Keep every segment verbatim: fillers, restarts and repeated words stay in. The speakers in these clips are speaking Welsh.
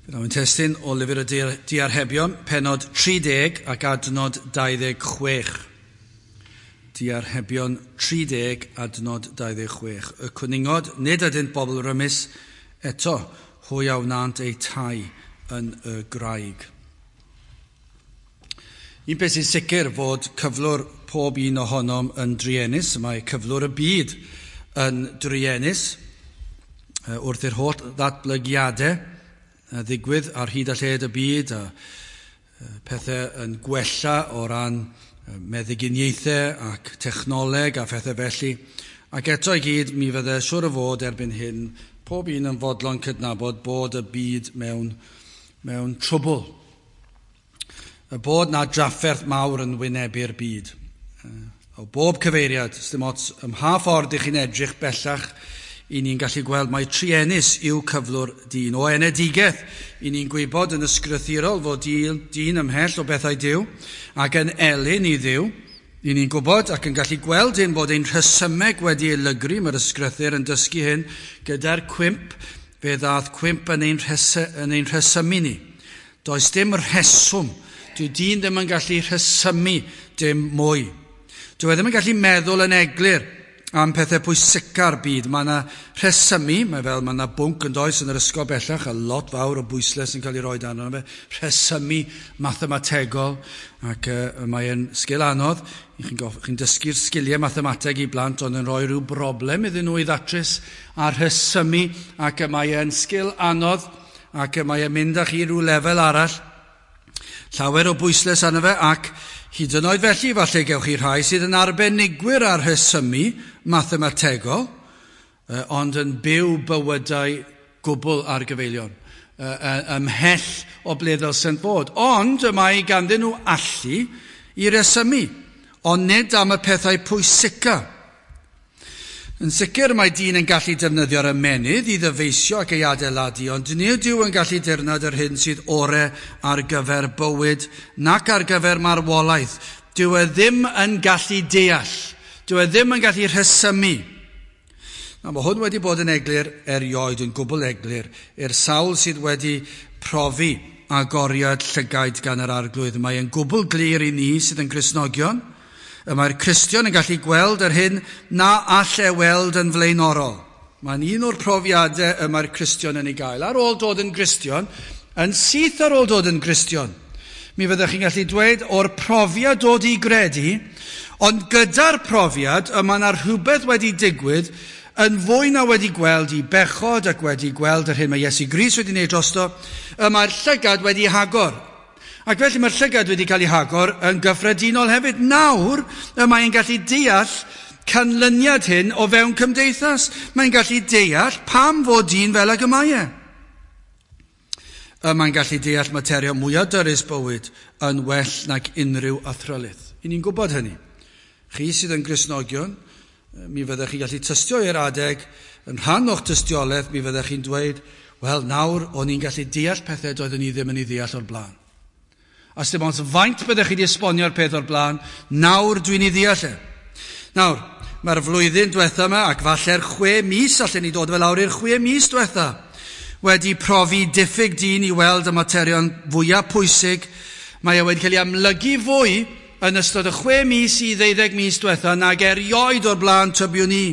Byddwn yn testun o lyfr y Diarhebion, penod tri deg ac adnod dau ddeg chwech. Diarhebion tri deg, adnod dau ddeg chwech. Y cwningod, nid ydynt bobl rymus, eto hwy a wnânt eu tai yn y graig. Un peth sy'n sicr fod cyflwr pob un ohonom yn druenus, mae cyflwr y byd yn druenus, wrth i'r holl ddatblygiadau ddigwydd ar hyd a lled y byd, a pethau yn gwella o ran meddyginiaethau ac technoleg a phethau felly. Ac eto i gyd, mi fydde siŵr o fod erbyn hyn, pob un yn fodlon cydnabod bod y byd mewn, mewn trwbl. Y bod na drafferth mawr yn wynebu'r byd. O bob cyfeiriad, dim ots ym mha ffordd ych chi'n edrych bellach, i ni'n gallu gweld mai truenus yw cyflwr dyn. O enedigaeth, i ni'n gwybod yn ysgrythurol fod dyn, dyn ymhell o bethau Duw ac yn elyn i Dduw. I ni'n gwybod ac yn gallu gweld hyn bod ein rhesymeg wedi ei lygru, mae'r ysgrythur yn dysgu hyn, gyda'r cwymp, fe ddath cwymp yn ein, rhes- yn ein rhesymu ni. Does dim rheswm, dyw dyn ddim yn gallu rhesymu dim mwy. Dyw e ddim yn gallu meddwl yn eglur am pethau pwysica'r byd. Mae yna rhesymu, mae fel mae yna bwnc yn does yn yr ysgol bellach, a lot fawr o bwyslais yn cael ei roi dan arno fe, rhesymu mathemategol, ac uh, mae'n sgil anodd. Chi'n chi dysgu'r sgiliau mathemateg i blant, ond yn rhoi rhyw broblem iddyn nhw i ddatrys a rhesymu, ac mae'n sgil anodd, ac mae'n mynd â chi rhyw lefel arall. Llawer o bwyslais arno fe, ac hyd yn oed felly, falle gewch chi rhai sydd yn arbenigwyr ar rhesymu mathemategol, ond yn byw bywydau gwbl ar gyfeilion, ymhell o ble ddylsent fod. Ond y mae ganddyn nhw allu i resymu, ond nid am y pethau pwysica. Yn sicr mae dyn yn gallu defnyddio'r ymennydd i ddyfeisio ac ei adeiladu, ond nid yw yn gallu dirnad yr hyn sydd ore ar gyfer bywyd nac ar gyfer marwolaeth. Dyw e ddim yn gallu deall. Dyw e ddim yn gallu rhesymu. Na, mae hwn wedi bod yn eglur erioed, yn gwbl eglur, i'r sawl sydd wedi profi agoriad llygaid gan yr Arglwydd. Mae yn gwbl glir i ni sydd yn Gristnogion. Y mae'r Cristion yn gallu gweld yr hyn na all e weld yn flaenorol. Mae'n un o'r profiadau y mae'r Cristion yn ei gael. Ar ôl dod yn Gristion, yn syth ar ôl dod yn Gristion, mi fyddech chi'n gallu dweud o'r profiad dod i gredu, ond gyda'r profiad y mae yna rhywbeth wedi digwydd yn fwy na wedi gweld i bechod ac wedi gweld yr hyn mae Iesu Grist wedi wneud drosto, y mae'r llygad wedi hagor. Ac felly mae'r llygad wedi cael ei hagor yn gyffredinol hefyd. Nawr, y mae'n gallu deall canlyniad hyn o fewn cymdeithas. Mae'n gallu deall pam fod dyn fel ag y mae e. Y mae'n gallu deall materion mwyaf dyrys bywyd yn well nag unrhyw athrylith. I ni'n gwybod hynny. Chi sydd yn Gristnogion, mi fyddech chi'n gallu tystio i'r adeg, yn rhan o'ch tystiolaeth, mi fyddech chi'n dweud, wel, nawr o'n i'n gallu deall pethau doeddwn ni ddim yn ei ddeall o'r blaen. A dim ond faint byddech chi wedi esbonio'r peth o'r blaen, nawr dwi'n ei ddeall e. Nawr, mae'r flwyddyn diwetha yma, ac falle'r chwe mis, allan ni dod fel lawr i'r chwe mis diwetha, wedi profi diffyg dyn i weld y materion fwyaf pwysig. Mae e wedi cael ei amlygu fwy yn ystod y chwe mis i ddeuddeg mis diwetha nag erioed o'r blaen tybiwn ni.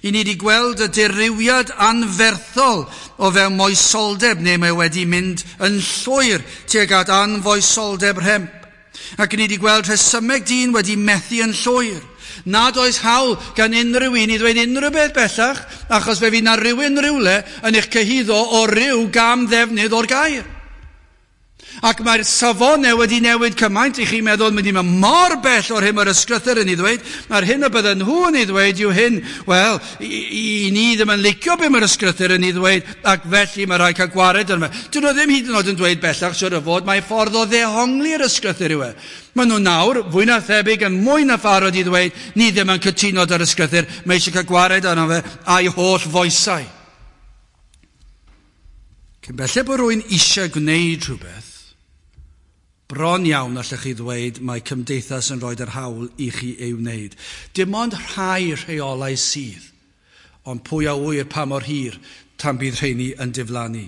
I ni wedi gweld y dirywiad anferthol o fewn moesoldeb, neu mae wedi mynd yn llwyr tuag at anfoesoldeb rhemp. Ac ni wedi gweld rhesymeg dyn wedi methu yn llwyr. Nad oes hawl gan unrhyw un i ddweud unrhyw beth bellach, achos fe fydd na rhywun rhywle yn eich cyhuddo o ryw gam ddefnydd o'r gair. Ac mae'r safonau wedi newid cymaint, i chi'n meddwl mynd i mynd mor bell o'r hyn mae'r ysgrythur yn ei ddweud, mae'r hyn y bydden nhw yn ei ddweud yw hyn, wel, i, i ni ddim yn licio be mae'r ysgrythur yn ei ddweud, ac felly mae rhaid cael gwared arno fe. Dyn nhw ddim hyd yn oed yn dweud bellach, siŵr o fod, mae ffordd o ddehongli'r ysgrythur yw e. Maen nhw nawr, fwy na thebyg, yn mwy na pharod i ddweud, ni ddim yn cytuno ar ysgrythur, mae eisiau cael gwared arno fe a'i holl foesau. Cyn belled bod rhywun eisiau gwneud rhywbeth, bron iawn allech chi ddweud mae cymdeithas yn rhoi yr hawl i chi ei wneud. Dim ond rhai rheolau sydd, ond pwy a ŵyr pa mor hir tan bydd rheini yn diflannu.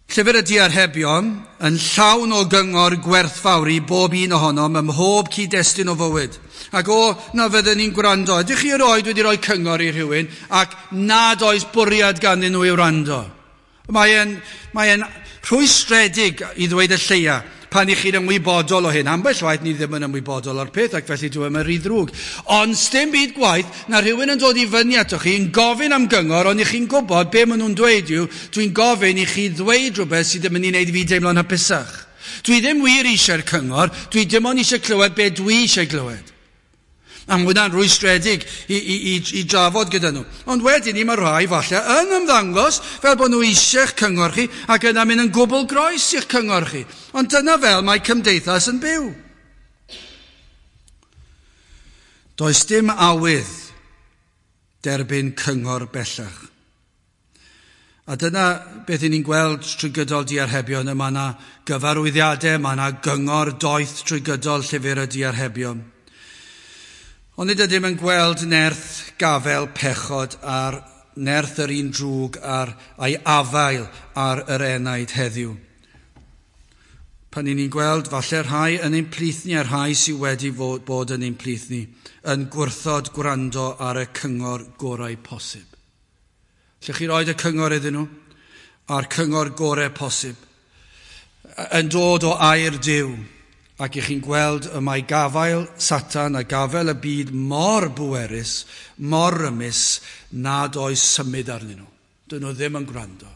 Llyfr y Diarhebion yn llawn o gyngor gwerthfawr i bob un ohonom ym mhob cyd-destun o fywyd. Ac o, na fyddwn ni'n gwrando. Ydych chi erioed wedi rhoi cyngor i rhywun ac nad oes bwriad ganddyn nhw i wrando? Mae e'n, mae e'n rhwystredig i ddweud y lleia pan i chi'n ymwybodol o hyn. Ambell waith ni ddim yn ymwybodol o'r peth ac felly dwi yn rhy ddrwg. Ond sdim byd gwaith na rhywun yn dod i fyny atoch chi yn gofyn am gyngor, ond i chi'n gwybod be maen nhw'n dweud yw, dwi'n gofyn i chi ddweud rhywbeth sydd ddim yn ei wneud i fi deimlo'n hapusach. Dwi ddim wir eisiau'r cyngor, dwi dim ond eisiau clywed be dwi eisiau glywed. A mae hwnna'n rwystredig i, i, i, i drafod gyda nhw. Ond wedyn ni mae rhai falle yn ymddangos fel bod nhw eisiau'ch cyngor chi ac yna mynd yn gwbl groes i'ch cyngor chi. Ond dyna fel mae cymdeithas yn byw. Does dim awydd derbyn cyngor bellach. A dyna beth ni'n gweld trwy gydol Diarhebion. Mae yna gyfarwyddiadau, mae yna gyngor doeth trwy gydol llyfr y Diarhebion. Ond nid ydym yn gweld nerth gafel pechod a'r nerth yr un drwg a'r, a'i afael ar yr enaid heddiw. Pan ni'n gweld falle rhai yn ein plith ni a rhai sydd wedi fod, bod yn ein plith ni yn gwrthod gwrando ar y cyngor gorau posib. Lle chi roed y cyngor iddyn nhw a'r cyngor gorau posib yn dod o air Duw. Ac i chi'n gweld y mae gafael Satan a gafael y byd mor bwerus, mor rymus, nad oes symud arnyn nhw. Dyn nhw ddim yn gwrando.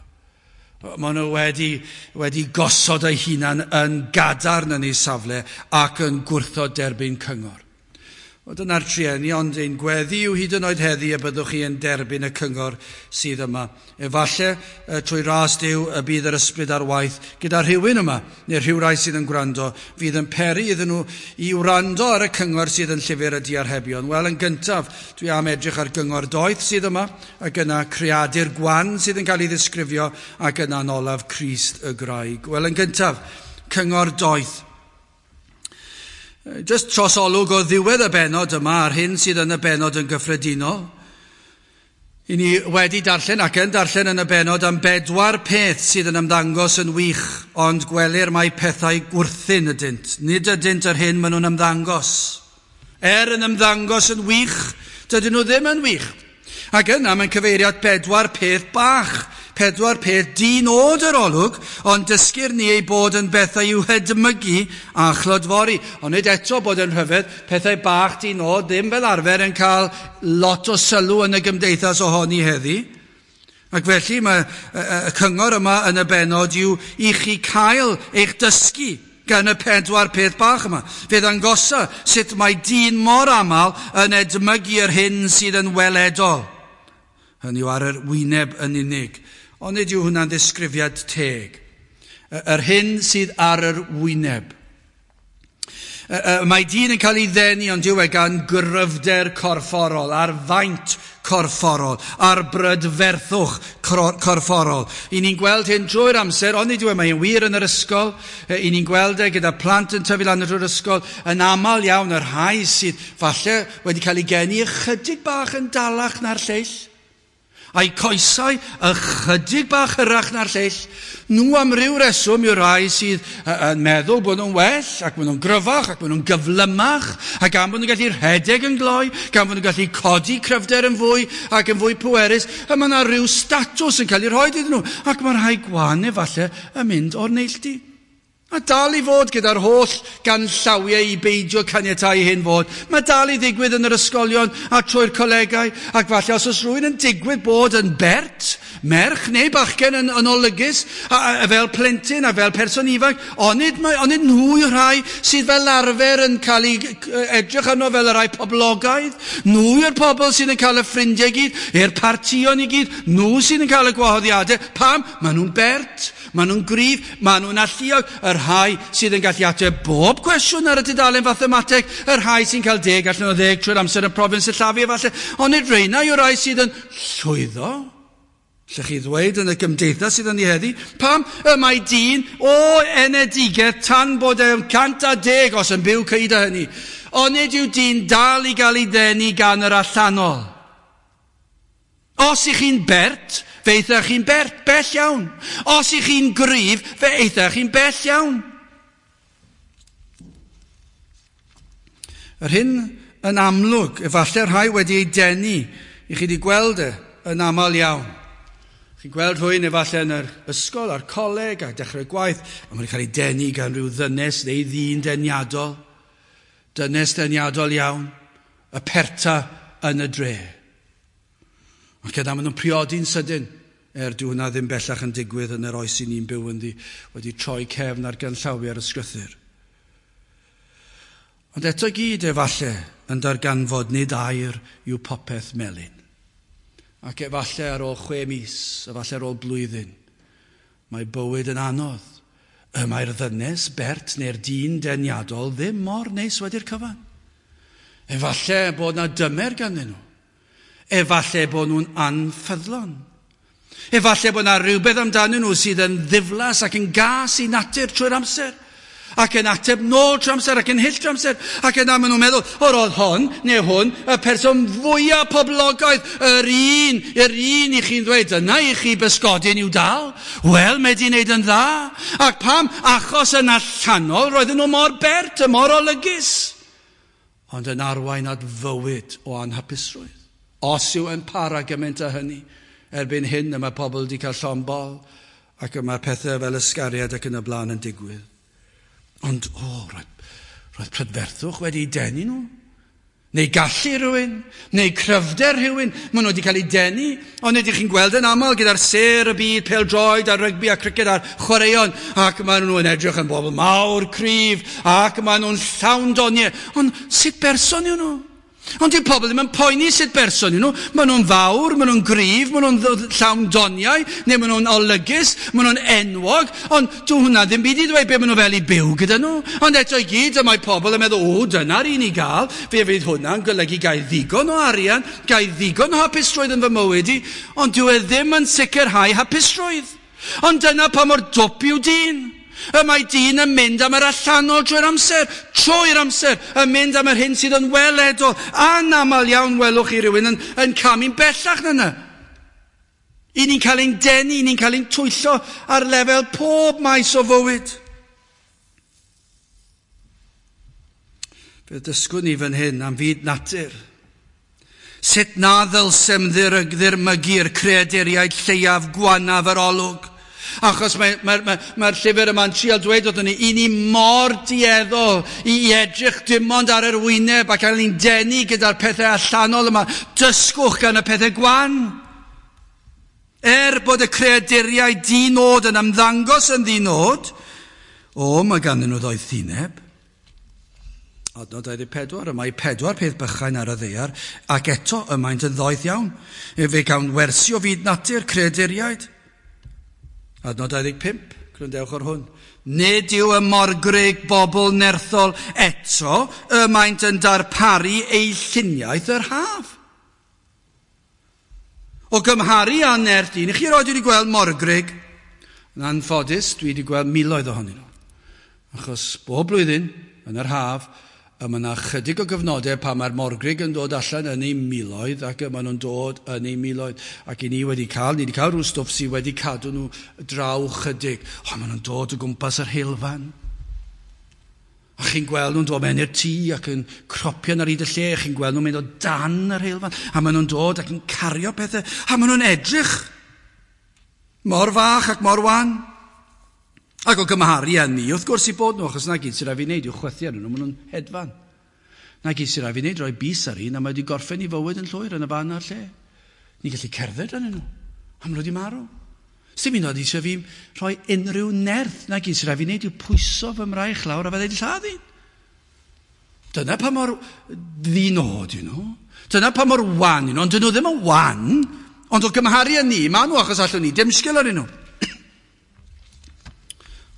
Maen nhw wedi, wedi gosod eu hunan yn gadarn yn eu safle ac yn gwrthod derbyn cyngor. Wel, dyna'r trueni, ond ein gweddi yw hyd yn oed heddi y byddwch chi yn derbyn y cyngor sydd yma. Efallai trwy ras Duw y bydd yr ysbryd ar waith gyda rhywun yma, neu rhywrai sydd yn gwrando, fydd yn peri iddyn nhw i wrando ar y cyngor sydd yn llyfr y Diarhebion. Wel, yn gyntaf, dwi am edrych ar gyngor doeth sydd yma, ac yna creadur gwan sydd yn cael ei ddisgrifio, ac yna'n olaf Crist y Graig. Wel, yn gyntaf, cyngor doeth. Just tros olwg o ddiwedd y bennod yma a'r hyn sydd yn y bennod yn gyffredinol. I ni wedi darllen ac yn darllen yn y bennod am bedwar peth sydd yn ymddangos yn wych, ond gwelir mai pethau gwrthun ydynt. Nid ydynt yr hyn maen nhw'n ymddangos. Er yn ymddangos yn wych, dydyn nhw ddim yn wych. Ac yna mae'n cyfeiriad bedwar peth bach, pedwar peth di-nod yr olwg, ond dysgir ni ei bod yn bethau i'w hedmygu a chlodfori. Ond nid eto bod yn rhyfedd, pethau bach di-nod ddim fel arfer yn cael lot o sylw yn y gymdeithas ohoni heddi. Ac felly mae y cyngor yma yn y bennod yw i chi cael eich dysgu gan y pedwar peth bach yma. Fe ddangosa sut mae dyn mor aml yn edmygu yr hyn sydd yn weledol. Hynny yw ar yr wyneb yn unig. Ond nid yw hwnna'n ddisgrifiad teg. Yr hyn sydd ar yr wyneb. Mae dyn yn cael ei ddenu ond yw e gan gryfder corfforol, ar faint corfforol, ar brydferthwch corfforol. I ni'n gweld hyn drwy'r amser, ond nid yw e, mae'n wir yn yr ysgol. I ni'n gweld e gyda plant yn tyfu lan drwy'r ysgol, yn aml iawn yr rhai sydd falle wedi cael ei geni ychydig bach yn dalach na'r lleill, a'i coesau ychydig bach hyrach na'r lleill. Nhw am ryw reswm yw'r rhai sydd yn meddwl bod nhw'n well, ac bod nhw'n gryfach, ac bod nhw'n gyflymach, ac gan bod nhw'n gallu rhedeg yn gloi, gan bod nhw'n gallu codi cryfder yn fwy ac yn fwy pwerus, a mae yna rhyw statws yn cael ei rhoi iddyn nhw, ac mae rhai gwan efallai yn mynd o'r neilltu. A dal i fod gyda'r holl ganllawiau i beidio caniatáu hyn fod. Mae dal i ddigwydd yn yr ysgolion a trwy'r colegau, ac falle os oes rhywun yn digwydd bod yn bert, merch neu bachgen yn, yn olygus, a, a, fel plentyn a fel person ifanc, onid, mae, onid nhw yw'r rhai sydd fel arfer yn cael ei edrych arno fel y rhai poblogaidd? Nhw yw'r pobl sydd yn cael y ffrindiau i gyd, i'r partïon i gyd, nhw sydd yn cael y gwahoddiadau. Pam? Maen nhw'n bert, maen nhw'n gryf, maen nhw'n alluog. Y rhai sydd yn gallu ateb bob cwestiwn ar y dudalen fathemateg, y rhai sy'n cael deg allan o ddeg trwy'r amser yn profion sillafu efallai, ond nid rheina yw'r rhai sydd yn llwyddo. Lle chi ddweud yn y gymdeithas sydd yn ei heddi, pam y mae dyn o enedigaeth tan bod e'n cant a deg os yn byw cyda hynny, ond nid yw dyn dal i gael ei ddenu gan yr allanol. Os ych chi'n bert, fe eithach chi'n bert, bell iawn. Os ych chi'n gryf, fe eithach chi'n bell iawn. Yr hyn yn amlwg, efallai rhai wedi ei denu, i chi wedi gweld e yn aml iawn. Chi'n gweld rhywun efallai yn yr ysgol a'r coleg a dechrau gwaith, a maen nhw'n cael ei denu gan rhyw ddynes neu ddyn deniadol. Dynes deniadol iawn, y perta yn y dre. Ac yna maen nhw'n priodi'n sydyn, er dyw hwnna ddim bellach yn digwydd yn yr oes i ni'n byw ynddi, wedi troi cefn ar ganllawiau ar y sgrythur. Ond eto gyd efallai yn darganfod nid air yw popeth melyn. Ac efallai ar ôl chwe mis, efallai ar ôl blwyddyn, mae bywyd yn anodd. Y mae'r ddynes, bert neu'r dyn deniadol ddim mor neis wedi'r cyfan. Efallai bod na dymer ganddyn nhw. Efallai bod nhw'n anffyddlon. Efallai bod na rhywbeth amdanyn nhw sydd yn ddiflas ac yn gas i natur trwy'r amser. Ac yn ateb nôl trwy amser, ac yn hyll trwy amser. Ac yna maen nhw'n meddwl, o roedd hon, neu hwn, y person fwyaf poblogaidd, yr un, yr un i chi'n ddweud, yna i chi bysgodyn i'w dal. Wel, mae di wneud yn dda. Ac pam? Achos yn allanol, roedden nhw mor bert, y mor olygus. Ond yn arwain at fywyd o anhapusrwydd. Os yw yn para gymaint â hynny, erbyn hyn y mae pobl wedi cael llond bol, ac y mae pethau fel ysgariad ac yn y blaen yn digwydd. Ond, o, oh, roedd, roedd prydferthwch wedi denu nhw. Neu gallu rhywun, neu cryfder rhywun. Maen nhw wedi cael eu denu. Ond ydych chi'n gweld yn aml gyda'r sêr y byd, pêl-droed a rygbi a criced a'r chwaraeon. Ac maen nhw'n edrych yn bobl mawr, cryf, ac maen nhw'n llawn doniau. Ond sut berson yw nhw? Ond dyw pobl ddim yn poeni sut berson yw nhw. Maen nhw'n fawr, maen nhw'n gryf, maen nhw'n llawn doniau, neu maen nhw'n olygus, maen nhw'n enwog. Ond dyw hwnna ddim byd i ddweud be maen nhw fel i byw gyda nhw. Ond eto i gyd, y mae pobl yn meddwl, o, dyna'r un i gael. Fe fydd hwnna'n golygu gael ddigon o arian, gael ddigon o hapusrwydd yn fy mywyd i. Ond dyw e ddim yn sicrhau hapusrwydd. Ond dyna pa mor dwp yw dyn. Y mae dyn yn mynd am yr allanol trwy'r amser, trwy'r amser, yn mynd am yr hyn sydd yn weledol. Anaml iawn welwch chi rhywun yn, yn camu'n bellach na yna. I ni'n cael ein denu, i ni'n cael ein twyllo ar lefel pob maes o fywyd. Fe ddysgwn ni fan hyn am fyd natur. Sut na ddylsem ddirmygu'r creaduriaid lleiaf gwanaf yr olwg. Achos mae'r mae, mae, mae llyfr yma'n trial dweud wrthon ni, i ni mor dueddol i edrych dim ond ar yr wyneb ac cael ni'n denu gyda'r pethau allanol yma. Dysgwch gan y pethau gwan. Er bod y creaduriaid di-nod yn ymddangos yn ddi-nod, o, mae ganddyn nhw ddoethineb. Adnod dau ddeg pedwar, y mae pedwar peth bychain ar y ddaear, ac eto y maent yn ddoeth iawn. Fe gawn wersi o fyd natur, creaduriaid. Adnod dau ddeg pump, gwrandewch ar hwn. Nid yw y morgrug bobl nerthol eto, y maent yn darparu eu lluniaeth yr haf. O gymharu â nerth dyn, chi erioed wedi gweld morgrug? Yn anffodus, dwi wedi gweld miloedd ohonyn nhw. Achos bob blwyddyn, yn yr haf, a mae yna chydig o gyfnodau pan mae'r morgrug yn dod allan yn ei miloedd ac maen nhw'n dod yn ei miloedd. Ac i ni wedi cael, ni wedi cael rhyw stwff sydd wedi cadw nhw draw chydig. O, maen nhw'n dod o gwmpas yr heulfan. A chi'n gweld nhw'n dod mewn i'r tŷ ac yn cropian ar hyd y lle. Chi'n gweld nhw'n mynd o dan yr heulfan. A maen nhw'n dod ac yn cario pethau. A maen nhw'n edrych mor fach ac mor wan. Ac o gymharu â ni, wrth gwrs i bod nhw, achos na gyd sy'n rhaid fi wneud yw chwythu arnyn nhw, maen nhw'n hedfan. Na gyd sy'n rhaid fi wneud, rhoi bys ar un, a mae wedi gorffen i fywyd yn llwyr yn y fan a'r lle. Ni'n gallu cerdded arnyn nhw, a maen nhw wedi marw. Sdim un oed eisiau fi rhoi unrhyw nerth, na gyd sy'n rhaid fi wneud yw pwyso fy mraich lawr a fydde wedi lladd un. Dyna pa mor ddinod yw nhw. Dyna pa mor wan yw nhw, ond dyn nhw ddim yn wan, ond o gymharu â ni, maen nhw achos allwn ni dim sgil arnyn nhw.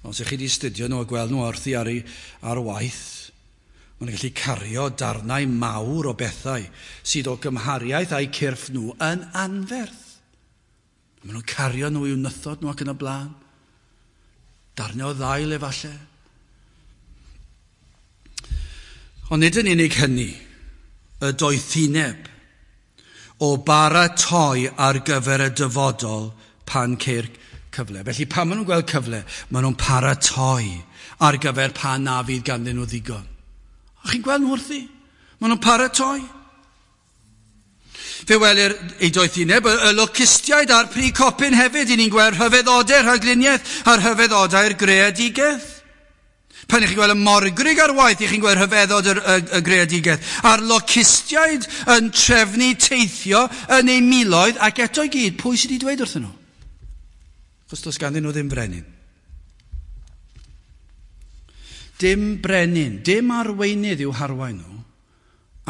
Os ych chi wedi studio nhw a gweld nhw wrthi ar, ei, ar waith, maen nhw'n gallu cario darnau mawr o bethau sydd o gymhariaeth a'u cyrff nhw yn anferth. Maen nhw'n cario nhw i'w nythod nhw ac yn y blaen. Darnau o ddail efallai. Ond nid yn unig hynny, y doethineb. o baratoi ar gyfer y dyfodol pan ceir cyfle. Felly pan maen nhw'n gweld cyfle, maen nhw'n paratoi ar gyfer pan na fydd ganddyn nhw ddigon. A chi'n gweld nhw wrthi? Maen nhw'n paratoi. Fe welir ei doethineb, y locustiaid a'r pry copyn hefyd, i ni'n gweld rhyfeddodau rhagluniaeth a'r rhyfeddodau'r greadigaeth. Pan ych chi'n gweld y morgrig ar waith, ych chi'n gweld rhyfeddod y, y, y greadigaeth. A'r locustiaid yn trefnu teithio yn eu miloedd, ac eto i gyd, pwy sydd wedi dweud wrthyn nhw? Achos does ganddyn nhw ddim brenin. Dim brenin, dim arweinydd i'w harwain nhw,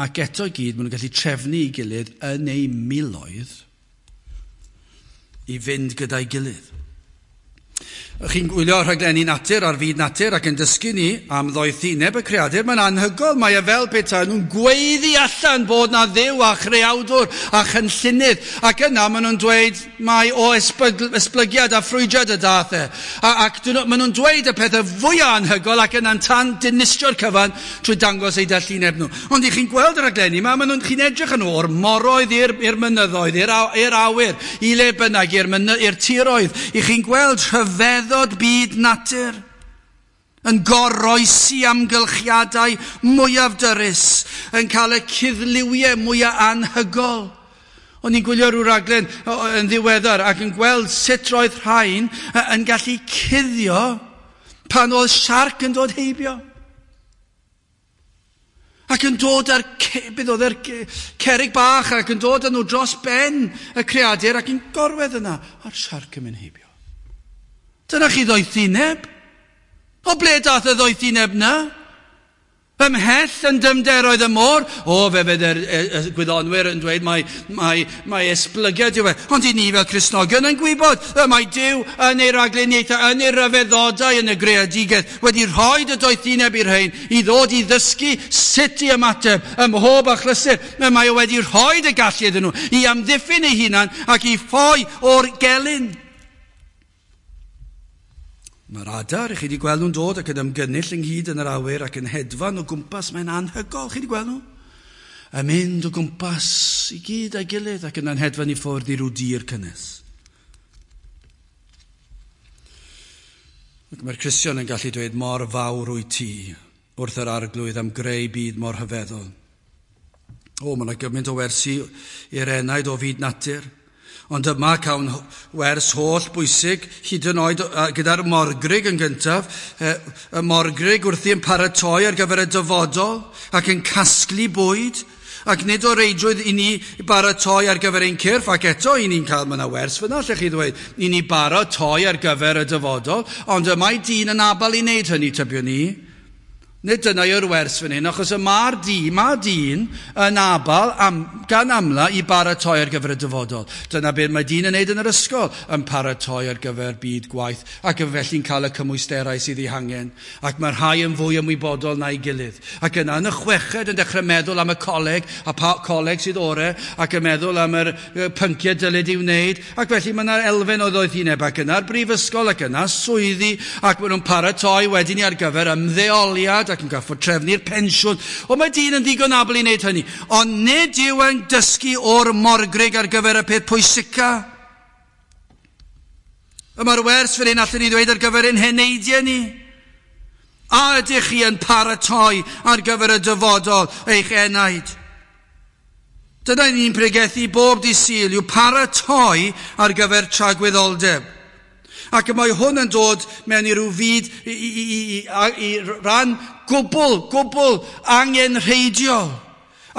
ac eto i gyd, maen nhw'n gallu trefnu i gilydd yn eu miloedd i fynd gyda'i gilydd. Chi'n gwylio rhaglenni natur ar fyd natur ac yn dysgu ni am ddoethineb y creadur, mae'n anhygoel, mae e fel petai nhw'n gweiddi allan bod na Dduw a chreawdwr a chynllunydd, ac yna maen nhw'n dweud mai o esblygiad a ffrwydrad y dath e. A, ac maen nhw'n dweud y pethau fwyaf anhygoel ac yna'n tan dinistrio'r cyfan trwy dangos eu dallineb nhw. Ond i chi'n gweld y rhaglenni yma, maen nhw'n chi'n edrych yn o'r moroedd i'r, i'r mynyddoedd, i'r awyr, i le bynnag, i'r tiroedd, i chi'n gweld rhyfedd byd natur yn goroesi amgylchiadau mwyaf dyrys, yn cael y cuddliwiau mwyaf anhygol. O'n i'n gwylio rhyw raglen yn ddiweddar ac yn gweld sut roedd rhain yn gallu cuddio pan oedd siarc yn dod heibio. Ac yn dod ar, beth oedd yr cerrig bach ac yn dod â nhw dros ben y creadur ac yn gorwedd yna a'r siarc yn mynd heibio. Dyna chi ddoethineb. O ble dath y ddoethineb na? Ymhell yn dymderoedd y môr. O, fe fydd y, y, y gwyddonwyr yn dweud mae, mae, mae esblygiad yw e. Ond i ni fel Cristnogion yn gwybod y mae Duw yn ei ragluniaethau, yn ei ryfeddodau, yn y greadigaeth, wedi rhoi y doethineb i'r rhain i ddod i ddysgu sut i ymateb ym mhob achlysur. Mae o wedi rhoi y gallu iddyn nhw i amddiffyn eu hunan ac i ffoi o'r gelyn. Mae'r adar, chi wedi gweld nhw'n dod ac yn ymgynnull ynghyd yn yr awyr ac yn hedfan o gwmpas, mae'n anhygol, chi wedi gweld nhw? Yn mynd o gwmpas i gyd a'i gilydd ac yna'n hedfan i ffwrdd i ryw dir cynnes. Ac mae'r Cristion yn gallu dweud mor fawr wyt ti wrth yr Arglwydd am greu byd mor rhyfeddol. O, mae yna gymaint o wersi i'r enaid o fyd natur. Ond yma cawn wers holl bwysig, hyd yn oed gyda'r morgrig yn gyntaf, y morgrig wrthi yn paratoi ar gyfer y dyfodol ac yn casglu bwyd, ac nid o reidrwydd i ni baratoi ar gyfer ein cyrff, ac eto i ni'n cael, mae yna wers fyna, lle chi ddweud, i ni baratoi ar gyfer y dyfodol, ond y mae dyn yn abal i wneud hynny, tybio ni. Nid dyna yw'r wers fan hyn, achos y mae'r dyn, mae dyn yn abal am, gan amla i baratoi ar gyfer y dyfodol. Dyna beth mae dyn yn neud yn yr ysgol, yn paratoi ar gyfer byd gwaith, ac yn felly'n cael y cymwysterau sydd eu hangen. Ac mae rhai yn fwy ymwybodol na'i gilydd. Ac yna yn y chweched yn dechrau meddwl am y coleg, a pa coleg sydd ore, ac yn meddwl am yr pynciau dylid i'w wneud. Ac felly mae yna'r elfen o ddoethineb, ac yna'r brifysgol, ac yna swyddi, ac maen nhw'n paratoi wedyn ar gyfer ymddeoliad, ac yn gorfod trefnu'r pensiwn. O, mae dyn yn ddigon abl i wneud hynny. Ond nid yw yn dysgu o'r morgrig ar gyfer y peth pwysica. Y mae'r wers fan hyn allwn ni ddweud ar gyfer ein heneidiau ni. A ydych chi yn paratoi ar gyfer y dyfodol eich enaid? Dyna ni'n pregethu bob dydd Sul, yw paratoi ar gyfer tragwyddoldeb. Ac mae hwn yn dod mewn i ryw fyd i, i, i, i, i ran gwbl, gwbl angenrheidiol.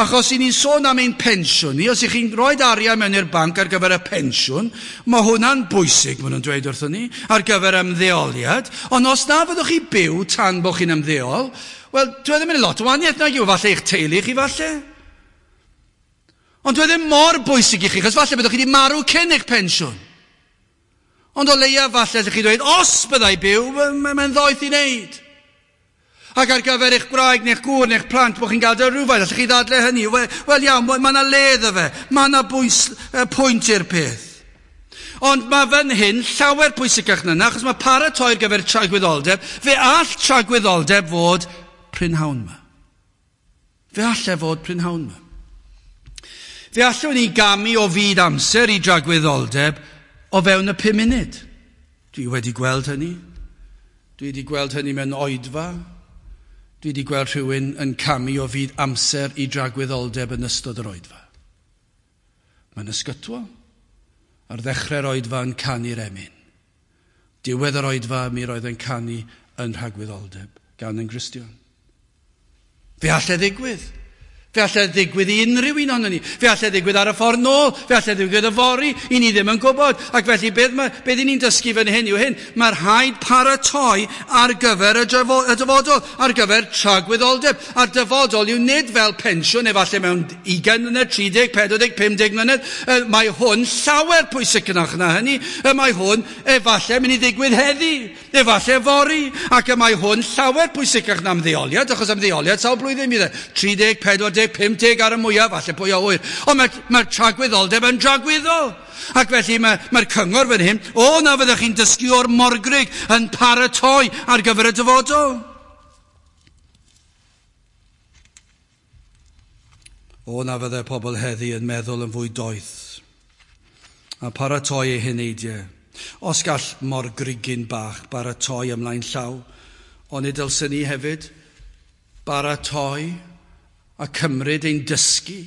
Achos i ni'n sôn am ein pensiwn ni, os ych chi'n rhoi arian mewn i'r banc ar gyfer y pensiwn, mae hwnna'n bwysig, maen nhw'n dweud wrthon ni, ar gyfer ymddeoliad. Ond os na fyddwch chi byw tan bod chi'n ymddeol, wel, dwi ddim yn lot o wahaniaeth nag yw, falle eich teulu chi falle. Ond dwi ddim mor bwysig i chi, achos falle byddwch chi wedi marw cyn eich pensiwn. Ond o leia falle allwch chi dweud, os byddai byw, mae'n ddoeth i wneud. Ac ar gyfer eich gwraig neu'ch gŵr neu'ch plant, bod chi'n gael dy rhywfaint, allwch chi ddadle hynny. Wel iawn, mae yna le iddo fe, mae yna bwys, pwynt i'r peth. Ond mae fan hyn llawer pwysicach na yna, achos mae paratoi ar gyfer tragwyddoldeb, fe all tragwyddoldeb fod prynhawn yma. Fe all e fod prynhawn yma. Fe allwn ni gamu o fyd amser i dragwyddoldeb o fewn y pum munud. Dwi wedi gweld hynny. Dwi wedi gweld hynny mewn oedfa. Dwi wedi gweld rhywun yn camu o fyd amser i dragwyddoldeb yn ystod yr oedfa. Mae'n ysgytwol. Ar ddechrau'r oedfa yn canu'r emyn. Diwedd yr oedfa mi roedd yn canu yn rhagwyddoldeb gan yn Gristion. Fe all e ddigwydd. Fe allai ddigwydd i unrhyw un ohonon ni. Fe allai ddigwydd ar y ffordd nôl. Fe allai ddigwydd yfory. I ni ddim yn gwybod. Ac felly beth, ma, beth i ni'n dysgu fan hyn yw hyn. Mae rhaid paratoi ar gyfer y, y dyfodol, ar gyfer tragwyddoldeb. A'r dyfodol yw nid fel pensiwn, efallai mewn ugain mlynedd, tri deg, pedwar deg, pum deg mlynedd. Mae hwn llawer pwysicach na hynny. Mae hwn efallai mynd i ddigwydd heddi, efallai fory. Ac y mae hwn llawer pwysicach na ymddeoliad, achos ymddeoliad sawl blwyddyn bydd e. tri deg, pedwar deg, pum deg ar y mwyaf, falle pwy a ŵyr. Ond mae'r mae tragwyddoldeb yn dragwyddol. Ac felly mae'r mae cyngor fan hyn, o na fyddwch chi'n dysgu o'r morgrug yn paratoi ar gyfer y dyfodol. O na fyddai pobl heddi yn meddwl yn fwy doeth a paratoi eu heneidiau. Os gall morgrugyn bach baratoi ymlaen llaw, onid dylsen ni hefyd baratoi a cymryd ein dysgu.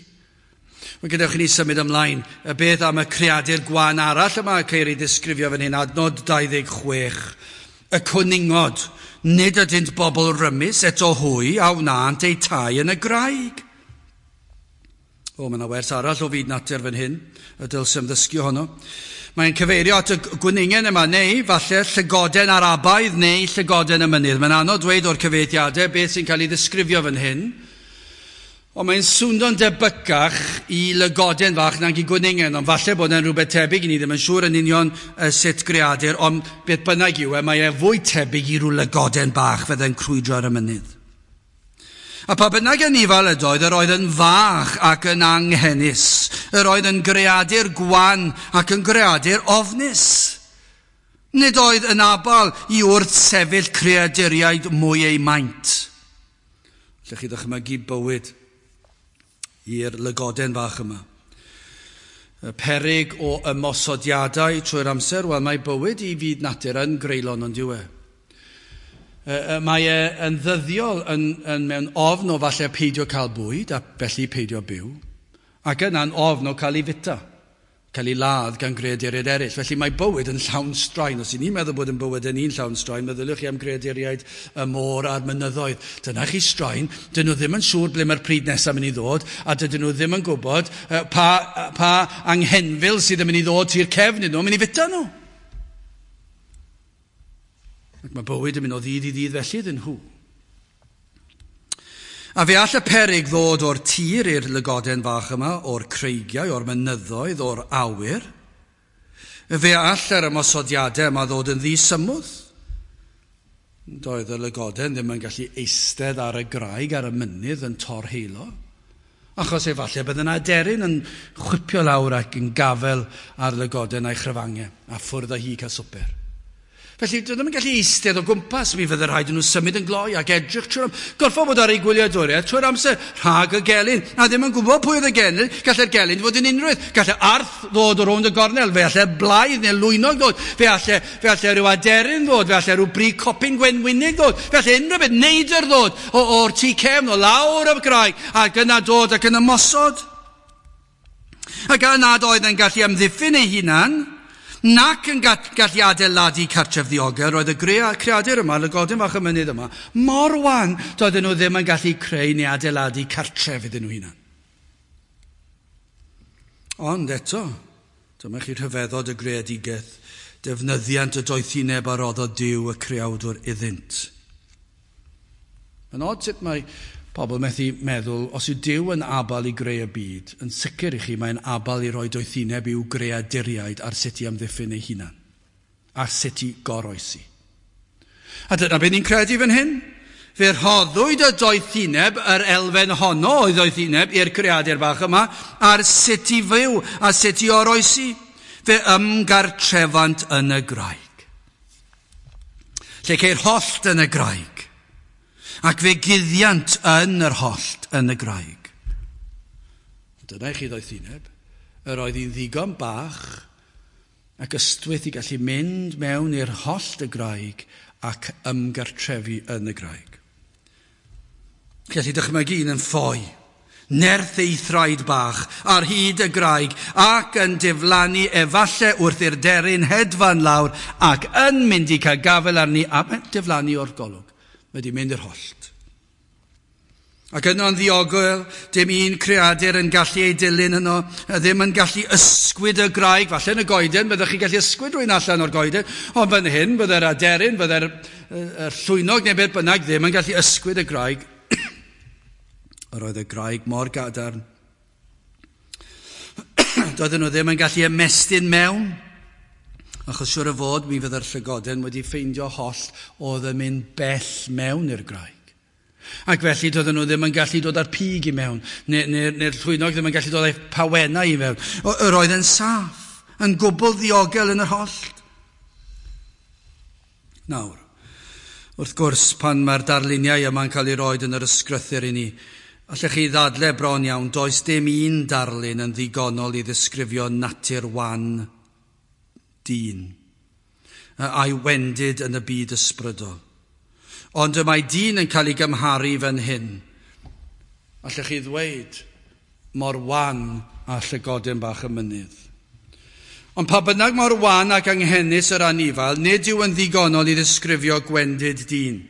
Wel, gadewch i ni symud ymlaen. Y beth am y creadur gwan arall yma ceir ei ddisgrifio fan hyn, adnod dau ddeg chwech. Y cwningod, nid ydynt bobl rymus, eto hwy a wnânt eu tai yn y graig. O, mae yna wers arall o fyd natur fan hyn, y dylsem ddysgu ohono. Mae'n cyfeirio at y gwningen yma, neu falle llygoden Arabaidd neu llygoden y mynydd. Mae'n anodd dweud o'r cyfeithiadau beth sy'n cael ei ddisgrifio fan hyn. Ond mae'n swndo'n debycach i lygoden fach nag i gwningen, ond falle bod e'n rhywbeth tebyg, i ni ddim yn siŵr yn union sut greadur, ond beth bynnag yw e, mae e fwy tebyg i ryw lygoden bach fydde'n crwydro ar y mynydd. A pa bynnag anifail ydoedd, yr oedd yn fach ac yn anghenus, yr oedd yn greadur gwan ac yn greadur ofnus. Nid oedd yn abal i wrthsefyll creaduriaid mwy eu maint. Allwch chi ddychmygu bywyd i'r lygoden fach yma. Y peryg o ymosodiadau trwy'r amser, wel mae bywyd i fyd natur yn greulon ond yw e. Mae e yn ddyddiol yn, yn mewn ofn o falle peidio cael bwyd a felly peidio byw, ac yna'n ofn o cael ei fita, cael ei ladd gan greaduriaid eraill. Felly mae bywyd yn llawn straen. Os i ni'n meddwl bod yn bywyd yn un llawn straen, meddyliwch chi am greaduriaid y môr a'r mynyddoedd. Dyna chi straen. Dyn nhw ddim yn siŵr ble mae'r pryd nesaf mynd i ddod, a dydyn nhw ddim yn gwybod pa, pa anghenfil sydd yn mynd i ddod tu'r cefn iddyn nhw, mynd i fita nhw. Ac mae bywyd yn mynd o ddydd i ddydd felly iddyn nhw. A fe all y peryg ddod o'r tir i'r lygoden fach yma, o'r creigiau, o'r mynyddoedd, o'r awyr. Fe all yr ymosodiadau yma ddod yn ddisymwth. Doedd y lygoden ddim yn gallu eistedd ar y graig, ar y mynydd yn torheilo. Achos efallai bydd yna aderyn yn chwipio lawr ac yn gafel ar lygoden a'i chrafangau, a ffwrdd â hi cael swper. Felly, dyn nhw'n gallu eistedd o gwmpas, mi fydde rhaid nhw symud yn gloi ac edrych trwy'r amser. Gorffod bod ar ei gwyliadwriaeth trwy'r amser, rhag y gelyn. A ddim yn gwybod pwy oedd y gelyn, gallai'r gelyn fod yn unrhyw. Gallai arth ddod o rownd y gornel, fe allai blaidd neu lwynog ddod, fe allai, fe allai rhyw aderyn ddod, fe allai rhyw bri copyn gwenwynig ddod, fe allai unrhyw beth, neidr ddod o, o'r tŷ cefn, o lawr y graig, ac yna dod ac yn ymosod. Ac gan nad oedd yn gallu amddiffyn ei hunan, nac yn gallu adeiladu cartref ddiogel, roedd y creadur yma, lygoden fach y mynydd yma, mor wan, doedden nhw ddim yn gallu creu neu adeiladu cartref iddyn nhw hunan. Ond eto, dyma chi rhyfeddod y greadigaeth, defnyddiant y doethineb a roddodd Duw y creawdwr iddynt. Mae'n od sut mae pobl methu meddwl, os yw Duw yn abal i greu y byd, yn sicr i chi mae'n abal i roi doethineb i'w greaduriaid ar sut i amddiffyn ei hunan, a sut i goroesi. A dyna beth ni'n credu fan hyn. Fe rhoddwyd y doethineb, yr elfen honno o'i ddoethineb i'r creadur bach yma, ar sut i fyw a sut i oroesi. Fe ymgartrefant yn y graig. Lle ceir hollt yn y graig. Ac fe guddiant yn yr hollt yn y graig. Dyna i chi ddoethineb. Yr oedd hi'n ddigon bach ac ystwyth i gallu mynd mewn i'r hollt y graig ac ymgartrefu yn y graig. Gallu dychmygu un yn ffoi, nerth ei thraed bach ar hyd y graig ac yn diflannu efalle wrth i'r deryn hedfan lawr ac yn mynd i cael gafael arni a diflannu o'r golwg. Mae wedi mynd i'r hollt. Ac yno'n ddiogel, dim un creadur yn gallu ei dilyn yno, ddim yn gallu ysgwyd y graig, falle yn y goeden, byddwch chi'n gallu ysgwyd rhywun allan o'r goeden, ond fan hyn, bydde'r aderyn, bydde'r llwynog neu beth bynnag ddim yn gallu ysgwyd y graig. Yr oedd y graig mor gadarn. Doedden nhw ddim yn gallu ymestyn mewn, achos siŵr o fod mi fydde'r llygoden wedi ffeindio hollt oedd yn mynd bell mewn i'r graig. Ac felly doedden nhw ddim yn gallu dod â'r pig i mewn, neu'r neu, neu llwynog ddim yn gallu dod â'i pawennau i mewn. Yr oedd yn saff, yn gwbl ddiogel yn yr hollt. Nawr, wrth gwrs, pan mae'r darluniau yma'n cael ei roed yn yr ysgrythur i ni, allech chi ddadle bron iawn, does dim un darlun yn ddigonol i ddisgrifio natur wan dyn, a'i wendid yn y byd ysbrydol. Ond y mae dyn yn cael ei gymharu fan hyn. Allech chi ddweud mor wan a llygoden bach y mynydd. Ond pa bynnag mor wan ac anghenus yr anifail, nid yw yn ddigonol i ddisgrifio gwendid dyn.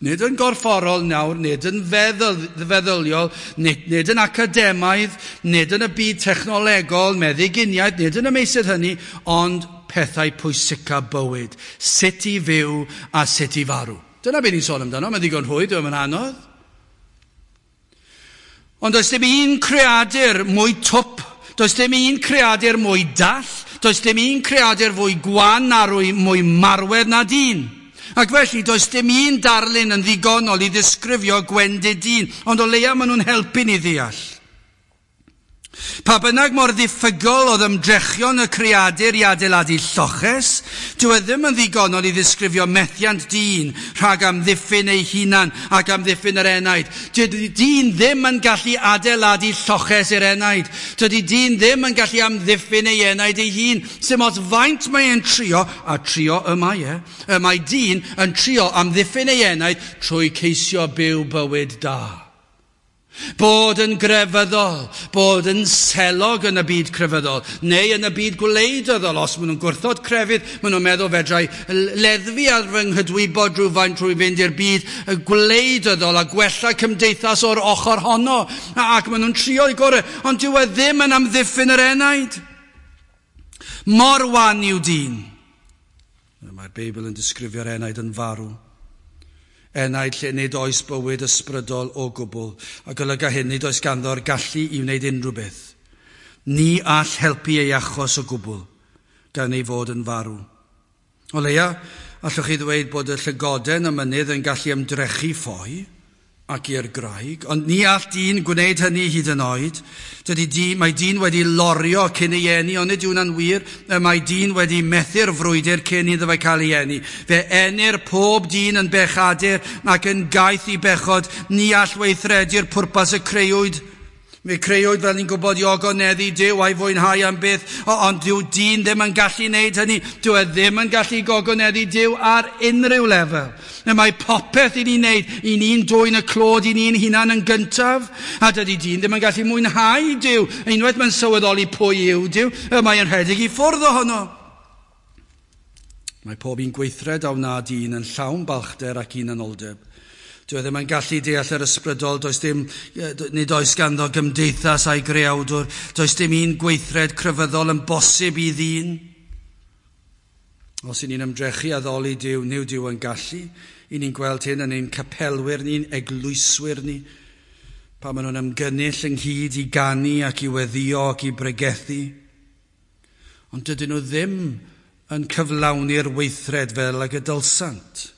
Nid yn gorfforol nawr, nid yn feddwl, feddyliol, nid, nid yn academaidd, nid yn y byd technolegol, meddyginiaeth, nid yn y meysydd hynny, ond pethau pwysica bywyd. Sut i fyw a sut i farw. Dyna beth ni'n sôn amdano, mae'n ddigon rhwydd, dyw e'm yn anodd. Ond does dim un creadur mwy twp, does dim un creadur mwy dall, does dim un creadur fwy gwan a mwy marwedd na dyn. Ac felly does dim un darlun yn ddigonol i ddisgrifio gwendid dyn, ond o leia maen nhw'n helpu ni ddeall. Pa bynnag mor ddiffygol oedd ymdrechion y creadur i adeiladu lloches, dyw e ddim yn ddigonol i ddisgrifio methiant dyn rhag amddiffyn ei hunan ac amddiffyn yr enaid. Dydy dyn ddim yn gallu adeiladu lloches i'r enaid. Dydy dyn ddim yn gallu amddiffyn ei enaid ei hun. Sim ots faint mae e'n trio, a trio y mae e, y mae dyn yn trio amddiffyn ei enaid trwy ceisio byw bywyd da. Bod yn grefyddol, bod yn selog yn y byd crefyddol, neu yn y byd gwleidyddol. Os maen nhw'n gwrthod crefydd, maen nhw'n meddwl fedrai leddfu ar fy nghydwybod rhywfaint trwy fynd i'r byd gwleidyddol a gwella cymdeithas o'r ochr honno. Ac maen nhw'n trio i gorau, ond dyw e ddim yn amddiffyn yr enaid. Mor wan yw dyn. Mae'r Beibl yn disgrifio'r enaid yn farw. Enaid lle nid oes bywyd ysbrydol o gwbl, a golyga hyn nid oes ganddo'r gallu i wneud unrhyw beth. Ni all helpu ei achos o gwbl, gan ei fod yn farw. O leia, allwch chi ddweud bod y llygoden y mynydd yn gallu ymdrechu ffoi ac i'r graig, ond ni all dyn gwneud hynny hyd yn oed. Dydy dyn, mae dyn wedi lorio cyn ei eni, ond nid yw hwnna'n wir. Mae dyn wedi methu'r frwydr cyn iddo fe cael ei eni. Fe enir pob dyn yn bechadur ac yn gaeth i bechod. Ni all weithredu'r pwrpas y creuwyd. Fe creuwyd, fel ni'n gwybod, i ogoneddu Duw a'i fwynhau am byth, ond dyw dyn ddim yn gallu wneud hynny. Dyw e ddim yn gallu gogoneddu Duw ar unrhyw lefel. Mae popeth i ni'n wneud, i ni'n dwyn y clod i ni'n hunan yn gyntaf, a dydy dyn ddim yn gallu mwynhau Duw. Unwaith mae'n sylweddoli pwy yw Duw, mae'n rhedeg i ffwrdd ohono. Mae pob un gweithred a wna dyn yn llawn balchder ac hunanoldeb. Dyw e ddim yn gallu deall yr ysbrydol, does dim, nid oes ganddo gymdeithas a'i greawdwr, does dim un gweithred crefyddol yn bosib i ddyn. Os y'n ni'n ymdrechu addoli Duw, nid Duw yn gallu. I ni'n gweld hyn yn ein capelwyr ni'n eglwyswyr ni, pa maen nhw'n ymgynnull ynghyd i ganu ac i weddio ac i bregethu. Ond dydyn nhw ddim yn cyflawni'r weithred fel ag y dylsant,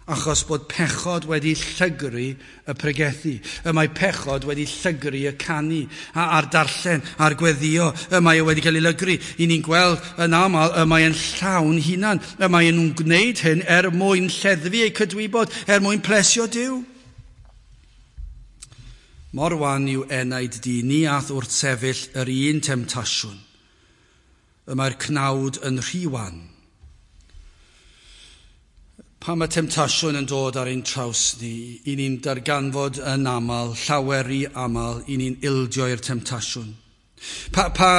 achos bod pechod wedi llygru y pregethu. Y mae pechod wedi llygru y canu, a'r darllen, a'r gweddio. Y mae e wedi cael ei lygru. I ni'n gweld yn aml, y mae e'n llawn hunan. Y mae nhw'n gwneud hyn er mwyn lleddfu eu cydwybod, er mwyn plesio Duw. Mor wan yw enaid di, ni ath wrthsefyll yr un temtasiwn. Y mae'r cnawd yn rhy wan. Pan mae temtasiwn yn dod ar ein traws ni, i ni'n darganfod yn aml, llawer i aml, i ni'n ildio i'r temtasiwn. Pa, pa,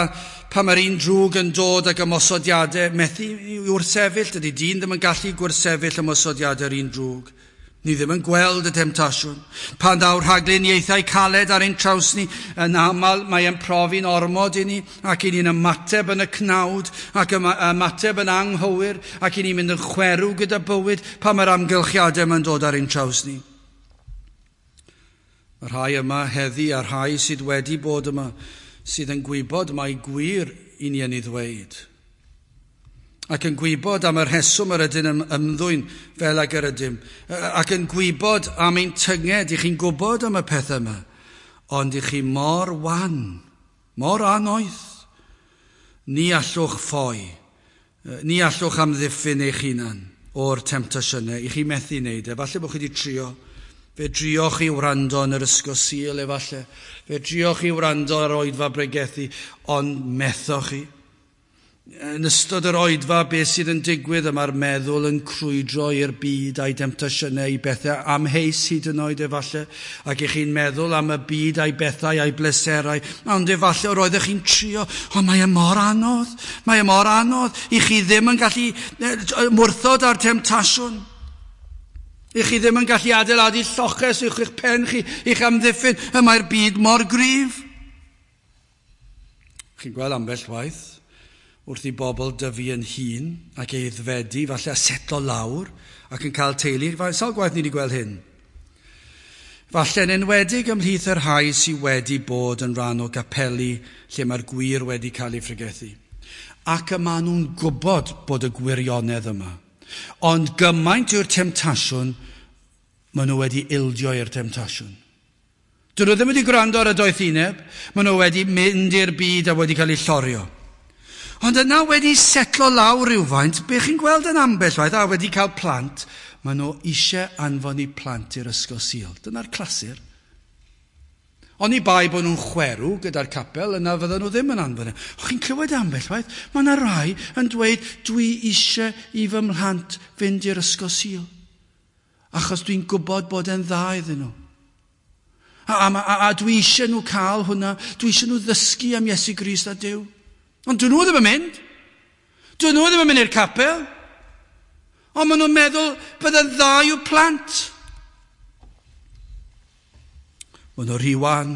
pa mae'r un drwg yn dod ag ymosodiadau, methu i wrthsefyll, dydy dyn ddim yn gallu gwrthsefyll ymosodiadau'r un drwg. Ni ddim yn gweld y temtasiwn. Pan daw rhagluniaethau caled ar ein traws ni, yn aml mae e'n profi'n ormod i ni, ac i ni'n ymateb yn y cnawd, ac ymateb yn anghywir, ac i ni'n mynd yn chwerw gyda bywyd pan mae'r amgylchiadau yma'n dod ar ein traws ni. Mae rhai yma heddi a rhai sydd wedi bod yma sydd yn gwybod mai gwir i ni yn ei ddweud. Ac yn gwybod am y rheswm yr ydyn yn ymddwyn fel ag yr ydym. Ac yn gwybod am ein tynged, i chi'n gwybod am y pethau yma. Ond i chi mor wan, mor anoeth. Ni allwch ffoi, ni allwch amddiffyn eich hunan o'r temtasiynau. I chi methu wneud e. Falle bod chi wedi trio. Fe drioch chi wrando yn yr ysgol Sul efallai. Fe drioch chi wrando ar oedfa bregethu, ond methoch chi. Yn ystod yr oedfa, beth sydd yn digwydd, y mae'r meddwl yn crwydro i'r byd a'i demtasiynau, i bethau amheus hyd yn oed efallai, ac i chi'n meddwl am y byd a'i bethau a'i bleserau, ond efallai yr oeddech chi'n trio, ond mae e mor anodd, mae e mor anodd, i chi ddim yn gallu mwrthod ar temtasiwn. I chi ddim yn gallu adeiladu lloches uwch eich pen chi, i'ch amddiffyn, y mae'r byd mor gryf. Chi'n gweld ambell waith, wrth i bobl dyfu yn hun ac aeddfedu, falle a setlo lawr ac yn cael teulu. Sawl gwaith ni wedi gweld hyn? Falle yn enwedig ymhlith yr rhai sydd wedi bod yn rhan o gapeli lle mae'r gwir wedi cael ei phregethu. Ac y maen nhw'n gwybod bod y gwirionedd yma. Ond gymaint yw'r temtasiwn, maen nhw wedi ildio i'r temtasiwn. Dyn nhw ddim wedi gwrando ar y doethineb, maen nhw wedi mynd i'r byd a wedi cael eu llorio. Ond yna wedi setlo lawr rhywfaint, be chi'n gweld yn ambell waith, a wedi cael plant, maen nhw eisiau anfon eu plant i'r ysgol Sul. Dyna'r clasur. Oni bai bod nhw'n chwerw gyda'r capel, yna fydden nhw ddim yn anfon e. O, chi'n clywed ambell waith, mae yna rai yn dweud, dwi eisiau i fy mhlant fynd i'r ysgol Sul. Achos dwi'n gwybod bod e'n dda iddyn nhw. A, a, a, a dwi eisiau nhw cael hwnna, dwi eisiau nhw ddysgu am Iesu Grist a Duw. Ond dyn nhw ddim yn mynd. Dyn nhw ddim yn mynd i'r capel. Ond maen nhw'n meddwl bydd yn dda i'w plant. Maen nhw rhy wan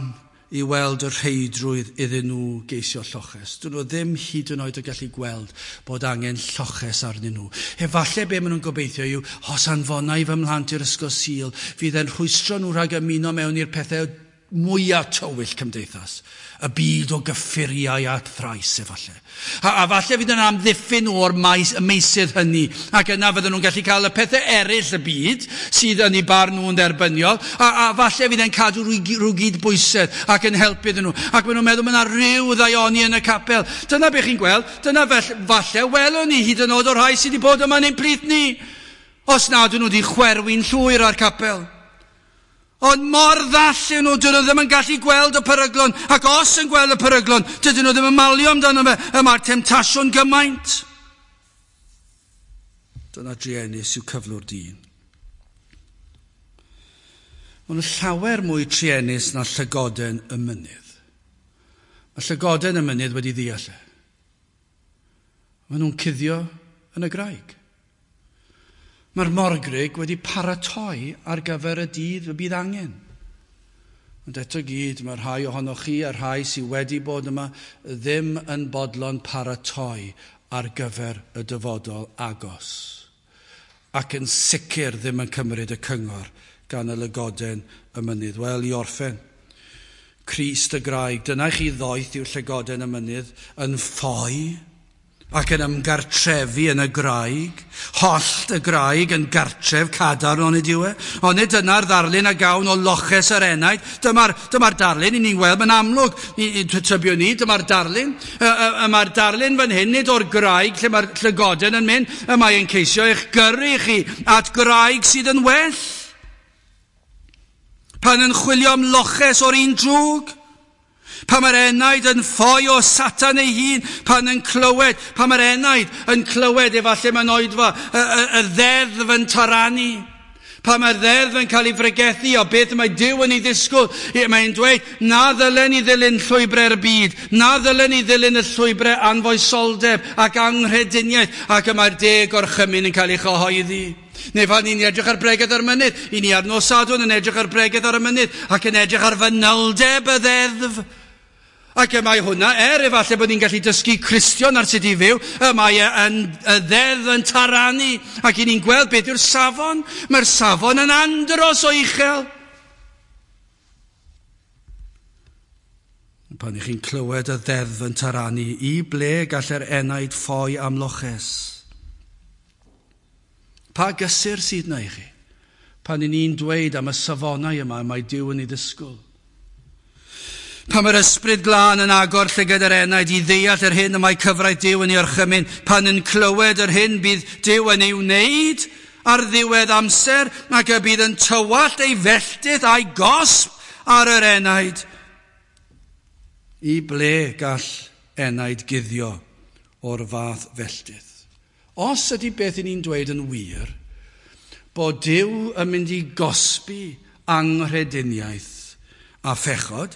i weld y rheidrwydd iddyn nhw geisio lloches. Dyn nhw ddim hyd yn oed o gallu gweld bod angen lloches arnyn nhw. Efallai be maen nhw'n gobeithio yw, os anfona i fy mhlant i'r ysgol Sul, fydd e'n rhwystro nhw rhag ymuno mewn i'r pethau mwyaf tywyll cymdeithas. Y byd o gyffuriau a thrais efallai. A, a falle fydd yn amddiffyn nhw o'r maes, y meysydd hynny, ac yna fydden nhw'n gallu cael y pethau eraill y byd sydd yn eu barn nhw'n dderbyniol, a, a falle fydd yn cadw rhyw, rhyw gyd bwysedd ac yn helpu iddyn nhw. Ac maen nhw'n meddwl mae yna rhyw ddaioni yn y capel. Dyna be chi'n gweld, dyna fel, falle welwn ni hyd yn oed o'r rhai sydd wedi bod yma yn ein plith ni. Os nad ydyn nhw wedi chwerwi'n llwyr ar capel. Ond mor ddall yw nhw, dyn nhw ddim yn gallu gweld y peryglon, ac os yn gweld y peryglon, dydyn nhw ddim yn malio amdano fe, y mae'r temtasiwn gymaint. Dyna druenus yw cyflwr dyn. Maen nhw llawer mwy truenus na llygoden y mynydd. Mae llygoden y mynydd wedi ddeall e. Maen nhw'n cuddio yn y graig. Mae'r morgrug wedi paratoi ar gyfer y dydd y bydd angen. Ond eto gyd, mae rhai ohonoch chi a rhai sydd wedi bod yma ddim yn bodlon paratoi ar gyfer y dyfodol agos. Ac yn sicr ddim yn cymryd y cyngor gan y lygoden y mynydd. Wel, i orffen, Crist y graig, dyna chi ddoeth i'w llygoden y mynydd yn ffoi ac yn ymgartrefu yn y graig, hollt y graig yn gartref cadarn onid yw e. Onid dyna'r ddarlun a gawn o loches yr enaid. Dyma'r, dyma darlun i ni'n gweld, mae'n amlwg, tybio ni, dyma'r darlun. Y, mae'r darlun fan hyn, nid o'r graig lle mae'r llygoden yn mynd, y mae'n ceisio eich gyrru chi at graig sydd yn well. Pan yn chwilio am loches o'r un drwg? Pan mae'r enaid yn ffoi o Satan ei hun, pan yn clywed, pan mae'r enaid yn clywed efallai mewn oedfa, y, y, y ddeddf yn taranu. Pan mae'r ddeddf yn cael ei fregethu o beth mae Duw yn ei ddisgwyl, mae'n dweud, na ddylen ni ddilyn llwybrau'r byd, na ddylen ni ddilyn y llwybrau anfoesoldeb ac anghrediniaeth, ac y mae'r deg orchymyn yn cael ei chyhoeddi. Neu pan ni'n edrych ar bregeth ar y mynydd, i ni ar nos Sadwrn yn edrych ar bregeth ar y mynydd, ac yn edrych ar fanyldeb y ddeddf. Ac y mae hwnna, er efallai bod ni'n gallu dysgu Cristion ar sut i fyw, y mae yn, y ddeddf yn taranu, ac i ni'n gweld beth yw'r safon. Mae'r safon yn andros o uchel. Pan ych chi'n clywed y ddeddf yn taranu, i ble gall yr enaid ffoi am loches? Pa gysur sydd na i chi? Pan i ni'n dweud am y safonau yma, mae Duw yn ei ddisgwyl. Pan mae'r ysbryd glân yn agor llygad yr enaid i ddeall yr hyn y mae cyfraith Duw yn ei orchymyn, pan yn clywed yr hyn bydd Duw yn ei wneud ar ddiwedd amser, ac y bydd yn tywallt ei felltith a'i gosb ar yr enaid. I ble gall enaid guddio o'r fath felltith? Os ydy beth i ni'n dweud yn wir, bod Duw yn mynd i gosbi anghrediniaeth a phechod,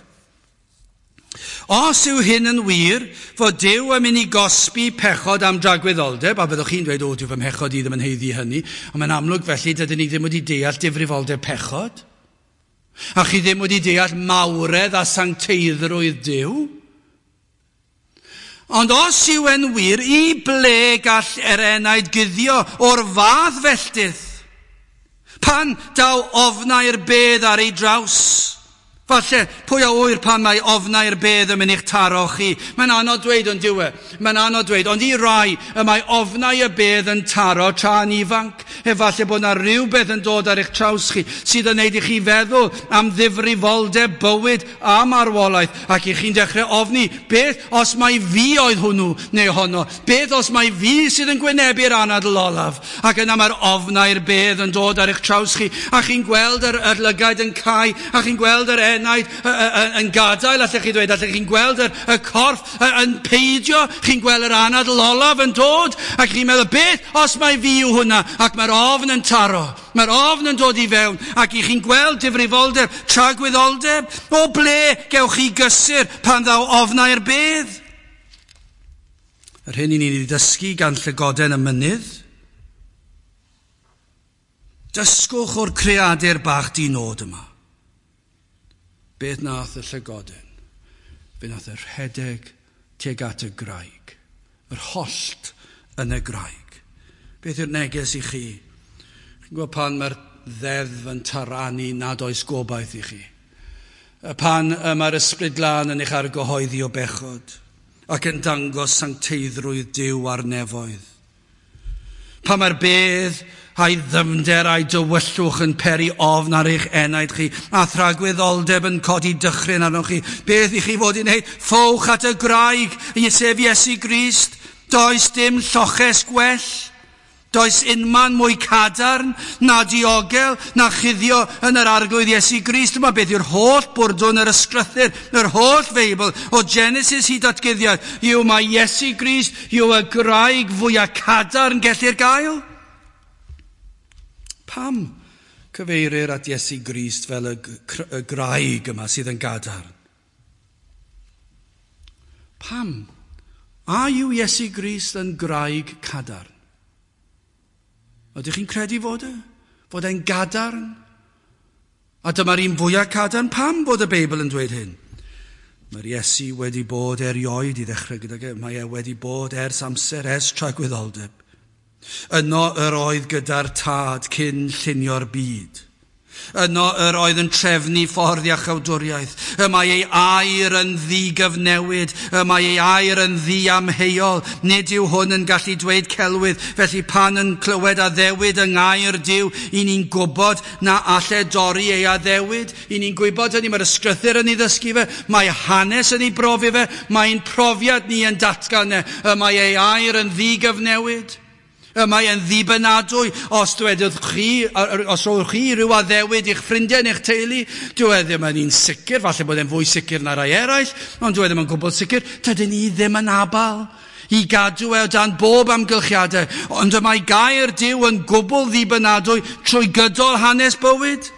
os yw hyn yn wir, fod Duw yn mynd i gosbi pechod am dragwyddoldeb, a byddwch chi'n dweud, o, dyw fy mhechod i ddim yn haeddu hynny, ond mae'n amlwg felly dydyn ni ddim wedi deall difrifoldeb pechod, a chi ddim wedi deall mawredd a sancteiddrwydd Duw. Ond os yw e'n wir, i ble gall yr enaid guddio o'r fath felltith? Pan daw ofnau'r bedd ar ei draws? Falle, pwy a ŵyr pan mae ofnau'r bedd yn mynd i'ch taro chi? Mae'n anodd dweud ond dyw e. Mae'n anodd dweud, ond i rai y mae ofnau y bedd yn taro tra'n ifanc. Efallai bod yna rhywbeth yn dod ar eich traws chi sydd yn neud i chi feddwl am ddifrifoldeb bywyd a marwolaeth, ac i chi'n dechrau ofni, beth os mai fi oedd hwnnw neu honno? Beth os mai fi sydd yn gwynebu'r anadl olaf? Ac yna mae'r ofnau'r bedd yn dod ar eich traws chi, a chi'n gweld yr, yr lygaid yn cau, a chi'n gweld yr enaid yn gadael, allech chi dweud, allech chi'n gweld yr, y corff yn peidio, chi'n gweld yr anadl olaf yn dod, ac chi'n meddwl, beth os mai fi yw hwnna? Ac mae'r ofn yn taro, mae'r ofn yn dod i fewn, ac i chi'n gweld difrifoldeb, tragwyddoldeb, o ble gewch chi gysur pan ddaw ofnau'r bedd? Yr hyn i ni'n ei ddysgu gan llygoden y mynydd, dysgwch o'r creadur bach di-nod yma. Beth nath y llygoden? Fe nath y rhedeg tuag at y graig, yr hollt yn y graig. Beth yw'r neges i chi? Chi'n gwybod pan mae'r ddeddf yn taranu nad oes gobaith i chi? Pan mae'r ysbryd glân yn eich argyhoeddi o bechod ac yn dangos sancteiddrwydd Duw ar nefoedd. Pan mae'r bedd a'i ddyfnder a'i dywyllwch yn peri ofn ar eich enaid chi, a thragwyddoldeb yn codi dychryn arnoch chi. Beth i chi fod i wneud? Ffowch at y graig, sef Iesu Grist. Does dim lloches gwell. Does unman mwy cadarn, na diogel, na chuddio yn yr arglwydd Iesu Grist. Dyma beth yw'r holl bwrdwn yr ysgrythur, yr holl Feibl, o Genesis hyd at Guddiad, yw mae Iesu Grist yw y graig fwyaf cadarn gellir gael. Pam cyfeirir at Iesu Grist fel y, y graig yma sydd yn gadarn? Pam? A yw Iesu Grist yn graig cadarn? Ydych chi'n credu fod e? Fod e'n gadarn? A dyma'r un fwyaf cadarn. Pam bod y Beibl yn dweud hyn? Mae'r Iesu wedi bod erioed i ddechrau gydag e. Mae e wedi bod ers amser, ers tragwyddoldeb. Yno yr oedd gyda'r Tad cyn llunio'r byd. Yno yr oedd yn trefnu ffordd iachawdwriaeth. Y mae ei air yn ddigyfnewid. Y mae ei air yn ddiamheuol. Nid yw hwn yn gallu dweud celwydd. Felly pan yn clywed addewid yng ngair Duw, i ni'n gwybod na alle dorri ei addewid. I ni'n gwybod hynny, mae'r ysgrythur yn ei ddysgu fe, mae hanes yn ei brofi fe, mae'n profiad ni yn datgan e. Y mae ei air yn ddigyfnewid. Y mae e'n ddibynadwy os dwedodd chi, os rowch chi rhyw addewid i'ch ffrindiau neu'ch teulu, dyw e ddim yn un sicr, falle bod e'n fwy sicr na rai eraill, ond dyw e ddim yn gwbl sicr. Dydyn ni ddim yn abal i gadw e o dan bob amgylchiadau, ond y mae gair Duw yn gwbl ddibynadwy trwy gydol hanes bywyd.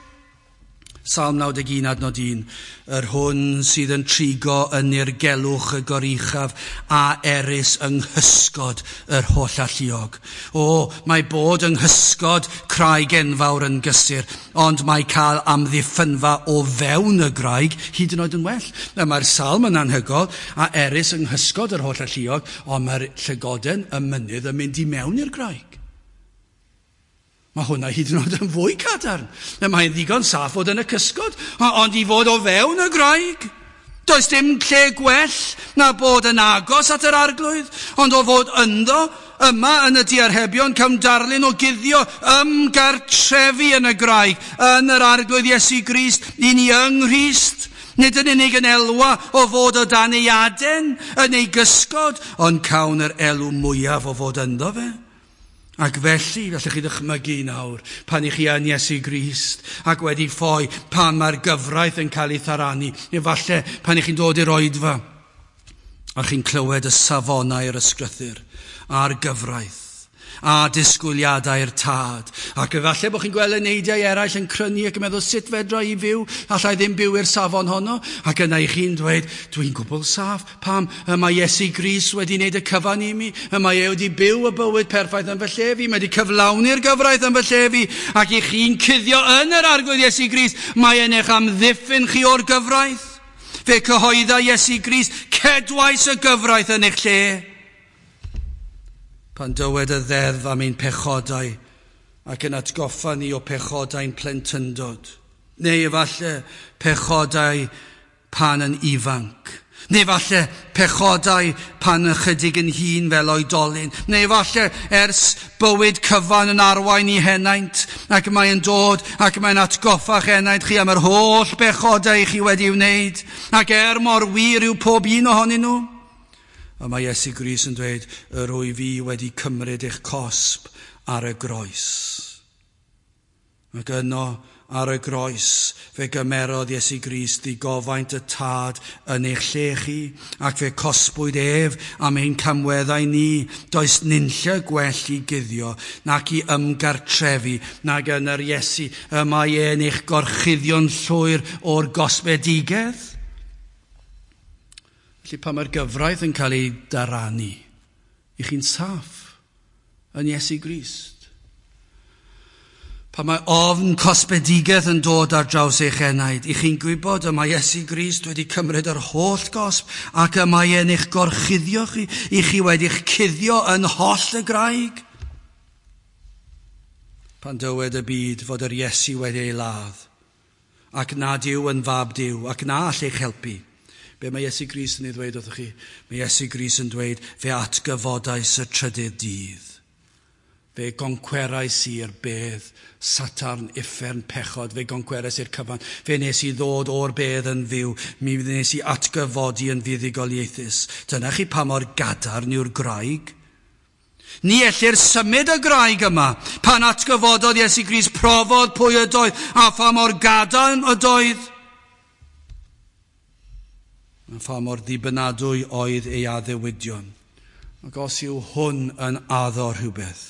Salm naw deg un adnod un, yr hwn sydd yn trigo yn nirgelwch y goruchaf a erys yng nghysgod yr holl alluog. O, mae bod yng nghysgod craig enfawr yn gysur, ond mae cael amddiffynfa o fewn y graig hyd yn oed yn well. Mae'r salm yn anhygoel, a erys yng nghysgod yr holl alluog, ond mae'r llygoden y mynydd yn mynd i mewn i'r graig. Mae hwnna hyd yn oed yn fwy cadarn. Mae'n ddigon saff fod yn y cysgod, ond i fod o fewn y graig. Does dim lle gwell na bod yn agos at yr arglwydd, ond o fod ynddo, yma yn y diarhebion, cawn darlun o guddio ymgartrefu yn y graig, yn yr arglwydd Iesu Grist, i ni yng Nghrist. Nid yn unig yn elwa o fod o dan ei aden, yn ei gysgod, ond cawn yr elw mwyaf o fod ynddo fe. Ac felly, gallwch chi ddychmygu nawr, pan i chi yn Iesu Grist ac wedi ffoi, pan mae'r gyfraith yn cael ei tharanu, efallai pan i chi'n dod i'r oedfa, a chi'n clywed y safonau yr ysgrythur a'r gyfraith, a disgwyliadau'r tad. Ac efallai bod chi'n gweld eneidiau eraill yn crynu ac yn meddwl, sut fedra i fyw? Allai ddim byw i'r safon honno. Ac yna i chi'n dweud, dwi'n gwbl saff. Pam? Y mae Iesu Grist wedi wneud y cyfan i mi. Y mae e wedi byw y bywyd perffaith yn fy lle fi. Mae wedi cyflawni'r gyfraith yn fy lle fi. Ac i chi'n cuddio yn yr arglwydd Iesu Grist, mae e'n eich amddiffyn chi o'r gyfraith. Fe cyhoedda Iesu Grist, cedwais y gyfraith yn eich lle. Pan dywed y ddeddf am ein pechodau ac yn atgoffa ni o pechodau'n plentyndod, neu efallai pechodau pan yn ifanc, neu efallai pechodau pan ychydig yn hŷn fel oedolyn, neu efallai ers bywyd cyfan yn arwain i henaint, ac mae'n dod ac mae'n atgoffa'ch henaint chi am yr holl bechodau chi wedi wneud, ac er mor wir yw pob un ohonyn nhw. A mae Iesu Grist yn dweud, yr wyf fi wedi cymryd eich cosb ar y groes. Ac yno ar y groes fe gymerodd Iesu Grist ddigofaint y tad yn eich lle chi, ac fe cosbwyd ef am ein camweddau ni. Does nunlle gwell i guddio, nac i ymgartrefu, nag yn yr Iesu y mae e'n eich gorchuddio'n llwyr o'r gosbedigedd. Felly pan mae'r gyfraith yn cael ei daranu, i chi'n saff yn Iesu Grist. Pan mae ofn cosbedigedd yn dod ar draws eich enaid, i chi'n gwybod y mae Iesu Grist wedi cymryd yr holl gosb ac y mae e'n eich gorchuddio chi, i chi wedi'ch cuddio yn holl y graig. Pan dywed y byd fod yr Iesu wedi ei ladd, ac nad yw yn fab Duw, ac na all eich helpu, be mae Iesu Grist yn ei ddweud wrthych chi? Mae Iesu Grist yn dweud, fe atgyfodais y trydydd dydd. Fe goncwerais i'r bedd, Satarn, uffern, pechod, fe goncwerais i'r cyfan. Fe nes i ddod o'r bedd yn fyw, mi nes i atgyfodi yn fuddugoliaethus. Dyna chi pa mor gadarn yw'r graig. Ni ellir symud y graig yma. Pan atgyfododd Iesu Grist, profodd pwy ydoedd a pha mor gadarn ydoedd. A pha mor ddibynadwy oedd ei addewidion. Ac os yw hwn yn addo rhywbeth,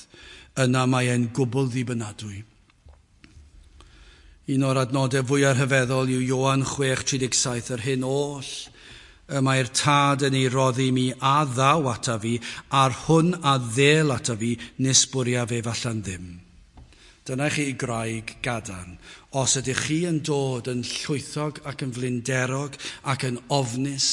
yna mae e'n gwbl ddibynadwy. Un o'r adnodau fwyaf rhyfeddol yw Ioan chwech tri deg saith, yr hyn oll y mae'r tad yn ei roddi mi a ddaw ata fi, a'r hwn a ddel ata fi, nes bwriaf ef allan ddim. Dyna chi graig gadarn. Os ydych chi yn dod yn llwythog ac yn flinderog ac yn ofnus,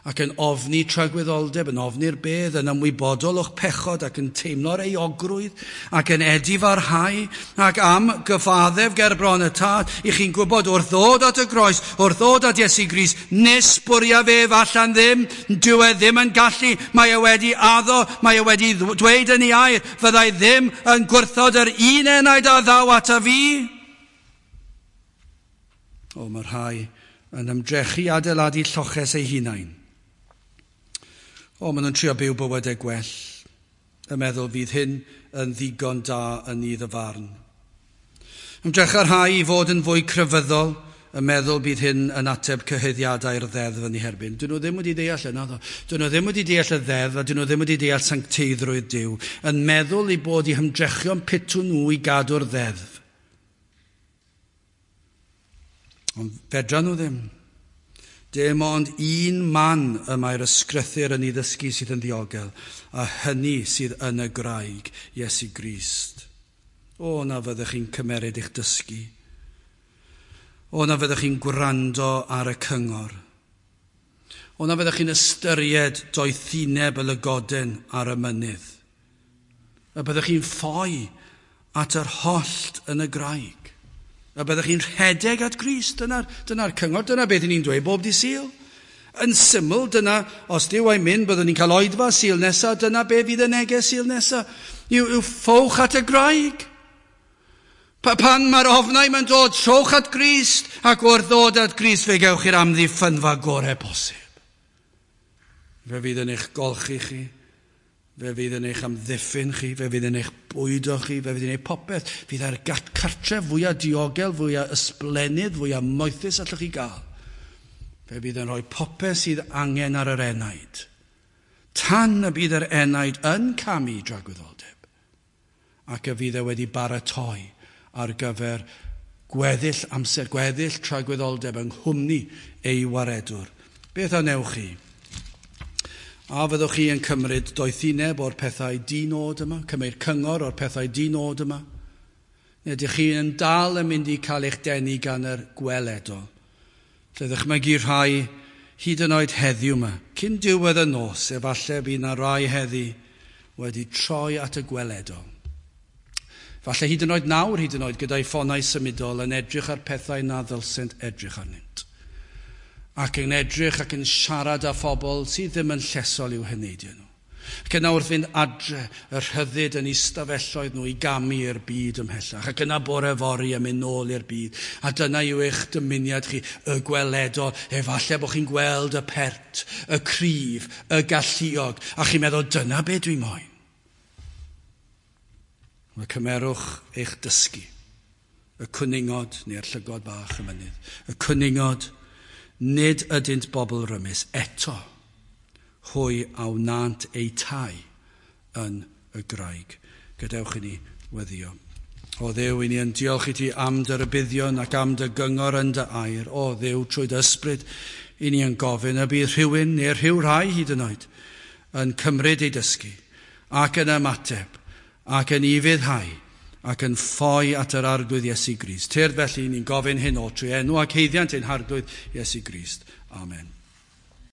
ac yn ofni tragwyddoldeb, yn ofni'r bedd, yn ymwybodol o'ch pechod ac yn teimlo'r euogrwydd, ac yn edifarhau, ac am gyfaddef ger bron y tad, i chi'n gwybod wrth ddod at y groes, wrth ddod at Iesu Grist, nes bwriaf ef allan ddim, dyw e ddim yn gallu, mae e wedi addo, mae e wedi dweud yn ei air, fyddai ddim yn gwrthod yr un enaid a ddaw ata fi. O, mae rhai yn ymdrechu adeiladu lloches eu hunain. O, maen nhw'n trio byw bywydau gwell. Y meddwl fydd hyn yn ddigon da yn nydd y farn. Ymdrecha'r rhai i fod yn fwy crefyddol, y meddwl bydd hyn yn ateb cyhuddiadau'r ddeddf yn ei herbyn. Dyn nhw ddim wedi deall yna. Dyn nhw ddim wedi deall y ddeddf a dyn nhw ddim wedi deall sancteiddrwydd Duw. Yn meddwl eu bod eu hymdrechion pitw nhw i gadw'r ddeddf. Ond fedra nhw ddim. Dim ond un man y mae'r ysgrythur yn ei ddysgu sydd yn ddiogel, a hynny sydd yn y graig, Iesu Grist. O, na fyddech chi'n cymeryd eich dysgu. O, na fyddech chi'n gwrando ar y cyngor. O, na fyddech chi'n ystyried doethineb y lygoden ar y mynydd. A byddech chi'n ffoi at yr hollt yn y graig. A byddech chi'n rhedeg at Grist. Dyna'r dyna cyngor, dyna beth ni'n dweud bob dydd Sul. Yn syml, dyna, os Duw a'i myn, byddwn ni'n cael oedfa Sul nesaf, dyna be fydd y neges Sul nesaf. Yw, yw ffowch at y graig. Pa, pan mae'r ofnau mae'n dod, trowch at Grist, ac wrth ddod at Grist fe gewch chi'r amddiffynfa gorau posib. Fe fydd yn eich golchi chi, fe fydd yn eich amddiffyn chi, fe fydd yn eich bwydo chi, fe fydd yn eich popeth. Fydd ar cartref fwyaf diogel, fwyaf ysblennydd, fwyaf moethus allwch chi gael. Fe fydd yn rhoi popeth sydd angen ar yr enaid. Tan y bydd yr enaid yn camu dragwyddoldeb, ac y fydd e wedi baratoi ar gyfer gweddill amser, gweddill tragwyddoldeb yng nghwmni ei waredwr. Beth a wnewch chi? A fyddwch chi yn cymryd doethineb o'r pethau di-nod yma, cymryd cyngor o'r pethau di-nod yma? Neu ydych chi yn dal yn mynd i cael eich denu gan yr gweledol? Lle ddychmygu rhai hyd yn oed heddiw yma, cyn diwedd y nos, efallai bydd na rai heddi wedi troi at y gweledol. Falle hyd yn oed nawr, hyd yn oed gyda'i ffonau symudol yn edrych ar pethau na ddylsent edrych arnynt. Ac yn edrych ac yn siarad â phobl sydd ddim yn llesol i'w heneidiau nhw. Ac yna wrth fynd adre, y rhyddid yn eu stafelloedd nhw i gamu i'r byd ymhellach. Ac yna bore fory yn mynd nôl i'r byd. A dyna yw eich dymuniad chi, y gweledol. Efallai bod chi'n gweld y pert, y cryf, y galluog. A chi'n meddwl, dyna be dwi moyn. Wel, cymerwch eich dysgu, y cwningod neu'r llygod bach y mynydd. Y cwningod, nid ydynt bobl rymus eto, hwy a wnânt eu tai yn y graig. Gadewch i ni weddïo. O Dduw, i ni yn diolch i ti am dy rybuddion ac am dy gyngor yn dy air. O Dduw, trwy dy ysbryd, i ni yn gofyn y bydd rhywun neu'r rhyw rai hyd yn oed yn cymryd ei dysgu ac yn ymateb ac yn ufuddhau ac yn ffoi at yr Arglwydd Iesu Grist. Tyrd felly, ni'n gofyn hyn o trwy enw ac haeddiant ein Harglwydd Iesu Grist. Amen.